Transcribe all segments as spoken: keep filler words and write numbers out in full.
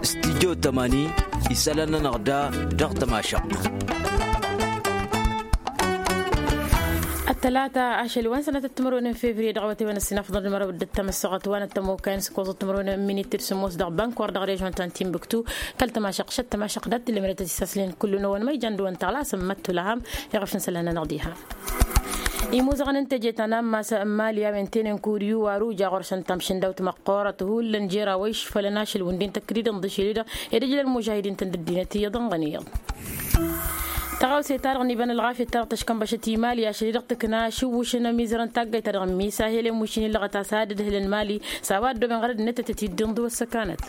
Stijjo tămani isălan-nănăɣ da dăɣ-tămašăɣt. Ăttălata ašăl wa n-sănatăt timărwen n-fevriye dăɣ-awătay wa n-ăssinafăḍăn d-mărăw dd-tămăssoɣăt wa n-ăttămokay n-sǝkkoẓăt timărwen n-minit d-sǝmmos dăɣ-bankor dăɣ-režon ta n-timbuktu. Kăl-tămašăɣt šăt tămašăɣt dat-tǝllem d-tăsisaslen kullu n-awăn ma ijan d-wăn tăɣlas n-măttulăhăm iɣăf n-isălan-nănăɣ diha. Imuzăɣăn n-teje ta n-ammas n-mali a-wen tenen kudiyu wa ruja ɣur-săn tamšǝndawt măqqoorăt hullan jer-a-wa išfălăn ašăl wǝndin tăkkǝdidăn d-ašăl-i-dăɣ ed ǝjlăn mužahidin-tăn d-ăddinăt iyyăḍ ănɣăn iyyăḍ. Tăɣawse-ta-dăɣ n-iba n-ălɣafyăt-ta-dăɣ tăškănbăšăt imali ašăl-i-dăɣ tǝkna ašǝwwǝšăn amizăr n-taggayt-ta-dăɣ n-misahel i-mušin illăɣăt a-s ad-ǝdhǝlăn mali s-a-wa ăddooben ɣărăd-net ad-tăt-dd-inḍǝw ăssăkanăt.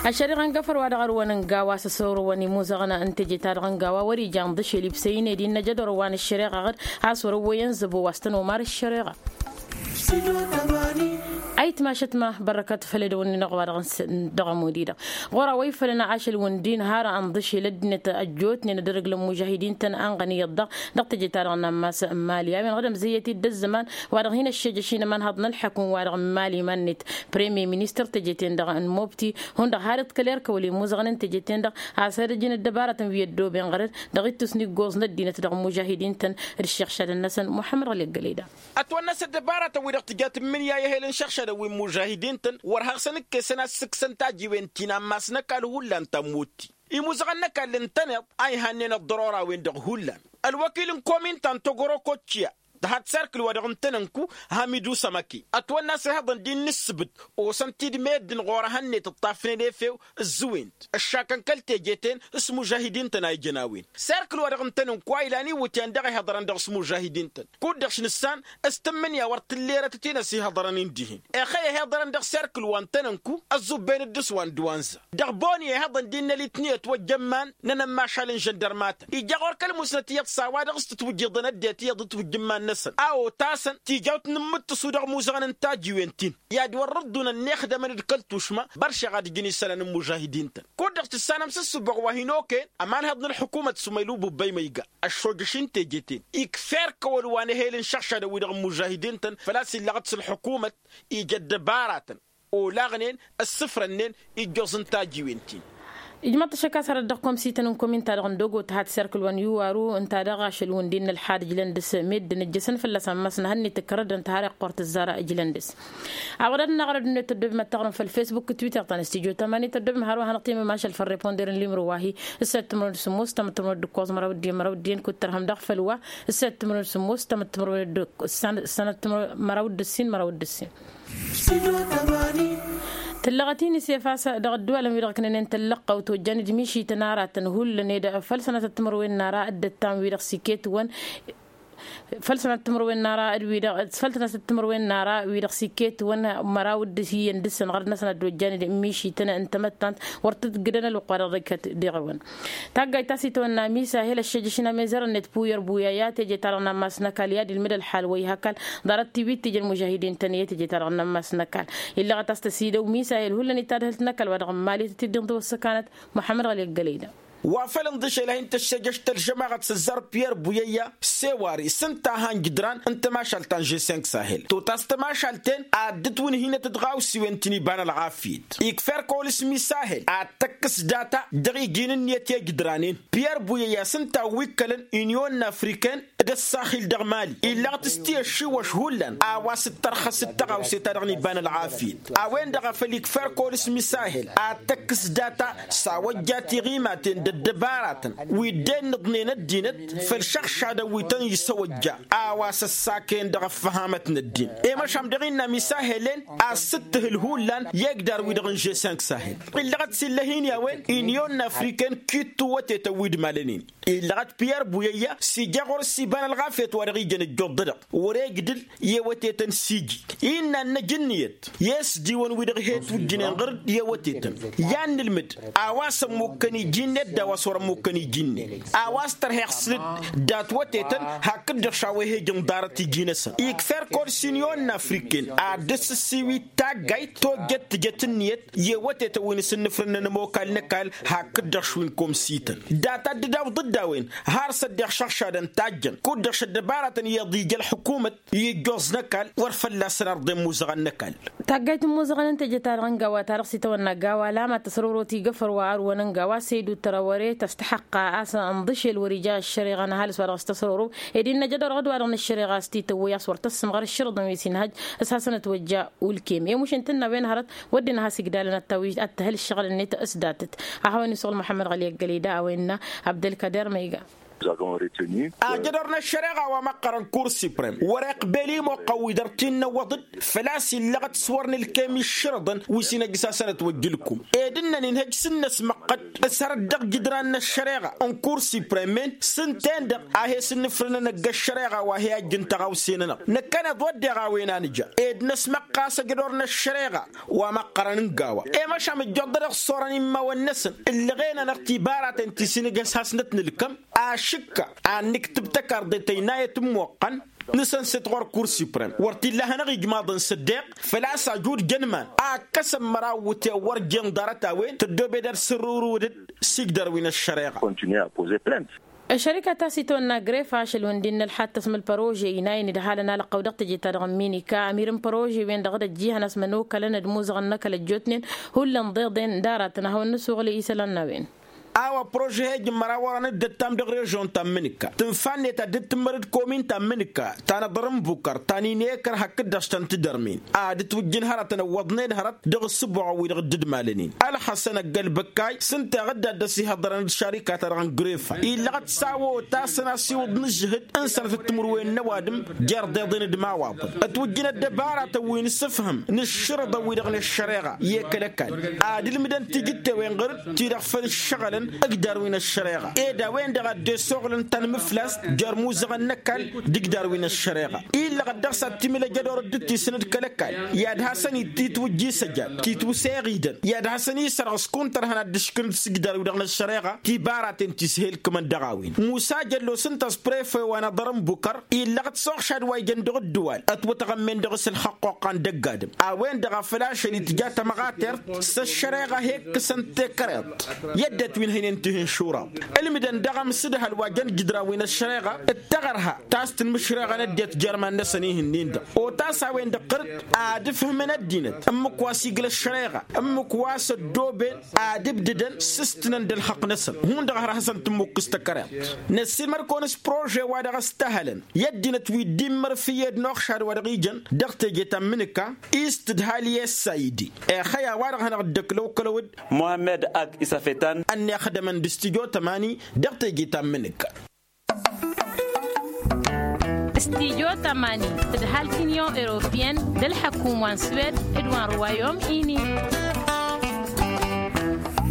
Ăššăriɣa n-gafăr wa dăɣ-ărwăn ǝnga wa s-ăsorǝwăn imuzăɣăn n-teje-ta-dăɣ ǝnga wa wăr-ija ǝnḍǝšel ibsăy-in ed innă jădor wa n-ăššăriɣa ɣǝd a-s wăr-ăwwăyăn zăbo wa s-tăn-omar ăššăriɣa. Ayǝtmašăt ma bărrăkăt făll-edăwăn-inăɣ wa dăɣ-ămud-i-dăɣ ɣur-a-wa ifălăn ašăl wǝndin har ănḍǝšel ăddinăt ăjjootnen ad-ărǝglăn mužahidin-tăn a ănɣăn iyyăḍ-dăɣ dăɣ-teje-ta-dăɣ n-ammas n-mali a-wen ɣǝd ămzăyyăt-dd ăzzăman wa dăɣ-hin-ăššejăš-in ămanhăḍ n-ălḥăkun wa dăɣ-n mali iman-net. Premier ministăr teje-ten-dăɣ n-mobti hundăɣ har iḍkăl erkăwăl imuzăɣăn n-teje-ten-dăɣ a-s ad-ăjǝn ăddăbarătăn wi ăddooben ɣărăd dăɣ-ittus n-iggoẓ n-ăddinăt dăɣ-imužahidin-tăn d-ǝššăɣšadăn-năsăn muḥămmăd ɣăli ăggălăy da. Ătwănna s-ăddăbarătăn-wi-dăɣ tǝjat n-imǝnǝya i-ehel n-išăɣšadăn wi n-imužahidin-tăn wăr haɣsăn ǝkkesăn ad-sǝkkǝsăn tajiwen ti n-ammas n-ăkall hullan ta n-mutti. Imuzăɣăn n-ăkall ǝntăneḍ a ihannen ăḍḍăror-a-wen-dăɣ hullan. Ălwăkil n-komin ta n-togorokottiya tăhadd serkǝl wa dăɣ-ǝntănănku hamidu sămăke ătwănna a-s ihăḍăn d-innă ǝssǝbǝt osăn-t-dd meddǝn ɣur-ehăn-net ǝṭṭafnen efew ǝzzǝwen-t ǝššakăn kăl-teje-ten s-imužahidin-tăn a ijăn a-wen. Serkǝl wa dăɣ-ǝntănănku a ilan iwǝtyan dăɣ-ihăḍrăn dăɣ-s imužahidin-tăn kud-dăɣ šnǝssan s-tǝmmǝnǝya wăr tǝllerătăt-in ăsiihăḍrăn-in dihen. Ixăy ăhiḍărăn dăɣ-serkǝl wa ǝntănănku ăẓẓubben d-dăɣ-s wa n-dăwanza dăɣ-boni ihăḍăn d-innă litniyăt wa ăjjămman n-enămmašal n-žăndărmatăn ija ɣur-kăl-musnăt iyyăḍ s-a-wa dăɣ-s tǝtwǝjjǝḍăn ăddinăt iyyăḍ d-tǝwǝjjǝmman-năsăn a otasăn tijawt n-imǝttǝsu dăɣ-imuzăɣăn n-tajiwen-tin i-ad-wăr-dd-unăn n-ixdămăn d-kăl-tušma. Băršeɣ ad-ǝjǝn isălan n-imužahidin-tăn kud-dăɣ tǝssanăm s-ǝssǝboɣ wa hin-okăyăn ămanhăḍ n-ălḥukumăt s-umaylu bubbăy ma iga ăššojăš n-teje-ten ikfa erk ăwăl wa n-ehel n-išăɣšadăn-wi-dăɣ n-imužahidin-tăn făl-a-s illăɣăt s-ălḥukumăt ija ăddăbaratăn olaɣnen ǝssǝfrănnen ijjoẓ n-tajiwen-tin. Ijmăḍ-t ašăk a-s hărăt dăɣ-komsităn n-komin-ta-dăɣ n-dogo tăhat serkǝl wa n-iwaru ǝnta daɣ ašăl wǝndin n-ălḥad ǝjlăn dăɣ-s meddǝn ǝjjăsăn fălla-s ammas n-ehăn-net ǝkkărădăn tăhar iqqor tǝzzar ǝjlăn dăɣ-s. Awădad-năɣ ărăd-net tăddobem ad-taɣrǝm făll-fesbuk d-twitter ta n-stijo tamani tăddobem har wa hanăɣ-timǝm ašăl făll-reponder n-limro wa-hi s-săttămrăwăn d-sǝmmos tamăttămrăwăn d-ǝkkoẓ măraw d-iyyăn măraw d-iyyăn kud-tărhăm dăɣ-făll-wa s-săttămrăwăn d-sǝmmos tamăttămrăwăn d-sănăttămrăwăn măraw d-ǝssin măraw d-ǝssin. Tǝllăɣăt-i n-isef a-s dăɣ-ădduwalăn-wi-dăɣ ǝknănen tăllăqqăwt ojjan d-mišităn aratăn hullan ed făll-sănatăt timǝrwen n-ara dd-ăttan-wi-dăɣ s-iket-wăn. Făll-sănatăt timǝrwen n-ara d-wi-dăɣ făll-sănatăt timǝrwen n-ara wi-dăɣ s-iket-wăn măraw d-iyyăn dăɣ-săn ɣărăt-năsăn ad-ojjan d-mišităn n-tamăttant wăr tǝtgǝdăn ălwăqq wa dăɣ-dd-ikăt diɣ-wăn. Taggayt ta s-itwănna misahil ăššejăš n-amezăr-net puyăr buyăya teje-ta-dăɣ n-ammas n-ăkall i-ad-ilmǝd ălḥal wa ih' ăkall ḍarăt tiwit tijăn mužahidin-tăn i-teje-ta-dăɣ n-ammas n-ăkall. Illăɣăt a-s tăsidăw misahil hullan ittadhǝlt n-ăkall wa dăɣ-n mali tăt-dd-inḍǝw ăssăkanăt. Muḥămmăd ɣăli ăggălăy da. Wa făl ǝnḍǝšel a hin-tăššejăš tălžămaɣăt s-ăzzar piyăr buyăyya sewari s-ǝnta a han-jǝdran n-tămašalt ta n-žeseng sahel totas tămašalt-en ad-dd-ǝtwǝnhǝynăt d-iɣawsiwen ti n-iba n-ălɣafyăt. Ikfa erk ăwăl s-misahel ad-tăkkǝs data dăɣ-iji n-ǝnniyăt i-ejǝdranen. Piyăr buyăyya s-ǝnta a wi ǝkkălăn inyon n-afriken d-ăssaxil dăɣ-mali illăɣ-t s-ti ăššiwăš hullan a-wa s-dd-tărxăs d-tăɣawse-ta-dăɣ n-iba n-ălɣafyăt. A-wen-dăɣ a făl ikfa erk ăwăl s-misahel ad-tăkkǝs data s-a wăjja tiɣimaten d-ăddăbaratăn wi dd-ennǝḍnen ăddinăt făll-išăɣšadăn wi tăn-isăwăjja a-wa s-ăssakăyăn dăɣ-ăffăhamăt n-ăddin. I-măšan dăɣ-innă misahel-en a-s ǝttǝhǝl hullan i-egdar-wi-dăɣ n-žeseng sahel. Illăɣăt s-illăh-in i-a-wen inyon n-afriken kittu wătetăn wi d-malănen. Illăɣăt piyăr buyăyya s-ija ɣur-s iba n-ălɣafyăt wa dăɣ-ijăn ăjjoḍ-dăɣ wăr-egdǝl i-ewătetăn s-iji. Innă ănnăj ǝnniyăt i-ăsdiwăn-wi-dăɣ he-tujjǝnen ɣăr-dd i-ewătetăn i-ad-nǝlmǝd a-wa s-ămmukkăn iji-net d-a-wa s-wăr-ămmukkăn iji-net. A-wa s-tărheɣ sǝlǝd dat-wătetăn hakd-dăɣ šaw'-e he-ǝjǝn ḍarăt iji-năsăn ikfa erk ăwăl s-inyon n-afriken ad-dd-sǝssiwit taggayt tojjăt tǝjăt ǝnniyăt i-ewătetăn wi n-asǝnnǝfrǝnnăn ămokal n-ăkall hakd-dăɣ šwi n-komsităn. Data dd-dawǝḍ-dd d-a-wen har s-ăddinăɣ šăɣšadăn tajjăn kud-dăɣ šăddăbaratăn iyyăḍ ija ălḥukumăt i-ijjoẓ n-ăkall wăr fălla-săn arḍen muzăɣăn n-ăkall. Taggayt n-imuzăɣăn n-teje-ta-dăɣ n-gawa ta dăɣ-s itawănna gawa lama tăsrorot igăfăr wa ărwăn n-gawa săydu tărawăre tăstăxăqqa a-s ănḍǝšel wăr-ija ăššăreɣa n-ăhalǝs wa dăɣ-s tăsroro ed innă jădor ɣǝd-wa-dăɣ n-ăššăreɣa a-s t-ităwwăy a-s wăr tăssǝmɣăr ǝššărǝḍăn wi s-inhăj s-hasăn-ătwăjja ulkem i-mušǝn tǝnna a-wen hărăt wădden ad-has-igdalăn ad-tawǝy ad-tǝhǝl ǝššăɣǝl-net s-datăt. Ad-hawăn-isăɣǝl muḥămmăd ɣăli ăggăleda a-wen innă abdălkăder ma iga. Ajădor n-ăššăreɣa wa măqqărăn kur siprem wăr-iqbel imoqqăn wi dăr-t-innăwwăḍ-dd făl-a-s illăɣăt s-wăr nǝlkem iššărǝḍăn wi s-inăjjǝs-asăn ătwăjj ǝlkum ed ǝnnăn inhăj s-ǝnnăsmăqqăd s-hărăt dăɣ-jǝdran n-ăššăreɣa n-kur siprem-en s-ǝnta-en-dăɣ a he-sǝnnǝfrǝnăn ăgg-ăššăreɣa wa he-ajjǝn tăɣawse-nănăɣ năkkăneḍ wădden a-wen a nǝja ed năsmăqqa a-s ajădor n-ăššăreɣa wa măqqărăn n-gawa i-măšan ǝjjoḍ-dăɣ s-orăn immawăn-năsăn ǝllăɣen-anăɣ tibaratăn ti s-inǝgg-has-hasnăt nǝlkăm ašǝkka ad-nǝktǝb tăkarḍe tăynayăt n-imoqqăn n-asăn s-t-ɣur-kur siprem wăr t-illa ad-hanăɣ-ijmaḍăn s-ăddeɣ făl-a-s ajud jăn iman a ǝkkăsăn măraw iwǝtyan wăr jen ḍarăt a-wen tăddoobed ad-sărrǝwrǝwăd-dd s-igdar wi n-ăššăreɣa. Ăššărika ta s-itwănna grefa ašăl wǝndin n-ălxattăs mălpărože inayen d-halăn alăqqăw dăɣ-teje-ta-dăɣ n-minika ămir n-părože-wen-dăɣ d-ăjjihăn a-s mănokălăn d-imuzăɣăn n-ăkall ăjjootnen hullan ḍeḍen d-aratăn ad-hawăn-nǝsuɣǝl i-isălan n-a-wen. A-wa prože he-ijǝmmăr a wărăn dd-ăttam dăɣ-režon ta n-imǝnǝkka tǝnfa-net ad-dd-tǝmmăr d-komin ta n-imǝnǝkka ta n-aḍăr n-bukăr ta n-inekăr hakd-dăɣ s-tăn-tǝdărmen ad-ǝtwǝjjǝn hărătăn ăwwăḍnen hărăt dăɣ-ǝssǝbuɣăn wi-dăɣ dd-ǝdmalănen ălxăsăn ăgg-ălbăkkay s-ǝnta iɣǝdda dd-ăsihăḍărăn d-šarika-ta-dăɣ n-grefa illăɣ-dd s-a-wa otasăn a-s iwǝḍ n-ǝžžǝhǝd n-sănătăt timǝrwen n-ăwadǝm jer-deḍen d-imawaḍăn ătwǝjjǝn ăddăbaratăn wi n-asǝfhǝm n-ǝššărǝḍăn-wi-dăɣ n-ăššăreɣa i-kăl-ăkall ad-ǝlmǝdăn tijǝttewen ɣăr-dd ti-dăɣ făll-ǝššăɣǝlăn ǝgdar wi n-ăššăreɣa ed a-wen-dăɣ a dd-esoɣlăn tanmǝflast jer-imuzăɣăn n-ăkall d-ǝgdar wi n-ăššăreɣa illăɣ-dd dăɣ-s ad-timǝl ejădor dd-tisǝnǝd kăl-ăkall i-ad-hasăn-itwǝjj isăjad titwǝse iɣidăn i-ad-hasăn-isărɣ s-kuntărhăn ad-dd-ǝškǝlăn s-ǝgdar-wi-dăɣ n-ăššăreɣa tibaratăn ti s-he-ǝlkǝmăn dăɣ-a-wen musa jăllo s-ǝnta a-s prefe wa n-aḍăr n-bukăr illăɣ-dd s-oxšad wa ijăn dăɣ-ǝddǝwal ătwătăɣămmen dăɣ-s ǝlxăqqoqqa n-dăgg-adǝm a-wen-dăɣ a făl ašăl itǝja tamăɣatert s-ăššăreɣa he-ǝkkǝsăn tekăreḍt i-ăddinăt wi n-hăynen tihǝnšuraḍ ǝlmǝdăn daɣ amsǝdhăl wa jăn jǝdran wi n-ăššăreɣa d-taɣărha ta s-tǝnmǝšreɣăn ăddinăt jer-iman-năsăn ihǝnnin-dăɣ otas a-wen-dăɣ ɣăr-dd ad-ǝfhǝmăn ăddinăt ǝmmǝk wa s-igla ăššăreɣa ǝmmǝk wa s-ăddooben ad-ǝbdǝdăn s-ǝstǝnăn d-ălxăqq-năsăn hundăɣ har hasăn-tǝmmukkǝs tăkăreḍt năssiilmăr-kăwăn s-prože wa dăɣ-ăstăhălăn i-ăddinăt wi dd-immărfǝyed n-oxšad wa dăɣ-ijăn dăɣ-teje ta n-imǝnǝka ist d-hali essaidi. Exăy a-wa-dăɣ hanăɣ-dd-ăklăwkălăw-dd muhammed ak isafetan ănnixdămăn d-studyo tămani dăɣ-teje ta n-imǝnǝka. Studyo tămani d-halk union europeyenne d-ălḥăkum wa n-suwed d-wa n-ruwayom ini.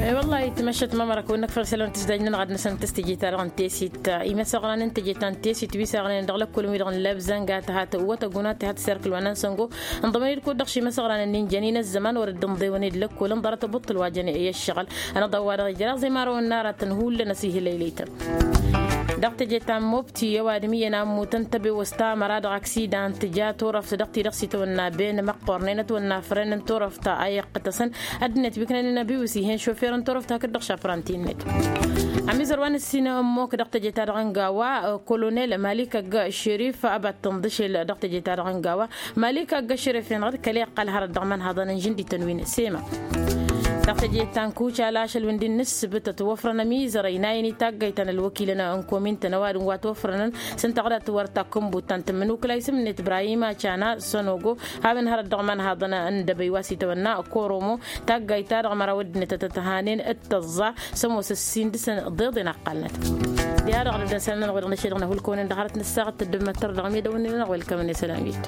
Wăllah itmăššăt mămărăk wănnăk făll-isălan tǝzdajnăn ɣad-năsăn tǝstǝji ta dăɣ-n tesit imăsăɣran n-tǝji ta n-tesit wi s-aɣnen dăɣ-lăkkul wi-dăɣ n-lăbzănga tăhat wătăguna tăhat serkǝl wa n-ansăngo. Ǝnḍămăn-dd kud-dăɣ šimăsăɣran n-injăn-in ăzzăman wăr dd-ǝnḍewăn-dd lăkkul ǝnḍărăt ăbuṭṭǝl wa jăn i-ăššăɣǝl. Ănăḍăw wa dăɣ-ijrăẓ i-marăwăn n-aratăn hullan ăsihǝlăylăytăn. Dăɣ-teje ta n-mobti ăwadǝm iyyăn a ǝmmutăn tăbewăst tamăra dăɣ-aksidan tǝja turăft dăɣ-ti-dăɣ s-itwănna ben măqqornen ătwănna fren n-turăft a iqqătăsăn. Ăddinăt wi ǝknănen ăbiwǝs ih'-en šofer n-turăft hakd-dăɣ šapranti-net. Ămizăr wa n-ǝssin ămmok dăɣ-teje ta dăɣ-n gawa kolonel malik ăgg šerif ăba t-tǝnḍǝšel dăɣ-teje ta dăɣ-n gawa. Malik ăgg šerif-en ɣǝd kăl-iqqăl hărăt dăɣ-iman haḍăn n-žǝndităn wi n-sema. Dăɣ-teje ta n-kucal ašăl wi n-di n-ǝssǝbǝt ătwăfrăn ămizăr ăynayăn i-taggayt ta n-ălwăkilăn n-komintăn ăwadǝm wa twăfrănăn s-ǝnta ɣǝdat wăr takkǝnbut ta n-tǝmmǝnukla isǝm-net ibrahim acana sănogo. Hawăn hărăt dăɣ-iman haḍăn n-dăbăy wa s-itwănna koromo taggayt-ta-dăɣ măraw ăddinăt a tăt-ăhanen d-tăẓẓa s-ămoos ǝssin dăɣ-săn ḍeḍen ăqqalnăt. Diha-dăɣ dăɣ-dăɣ-săn-nănăɣ wi-dăɣ n-ašăl dăɣ-năhulkăwăn-in dăɣ-hărăt n-ăssaɣăt tăddǝm măttăr dăɣ-medăwăn-nănăɣ welkămăn isălan wit.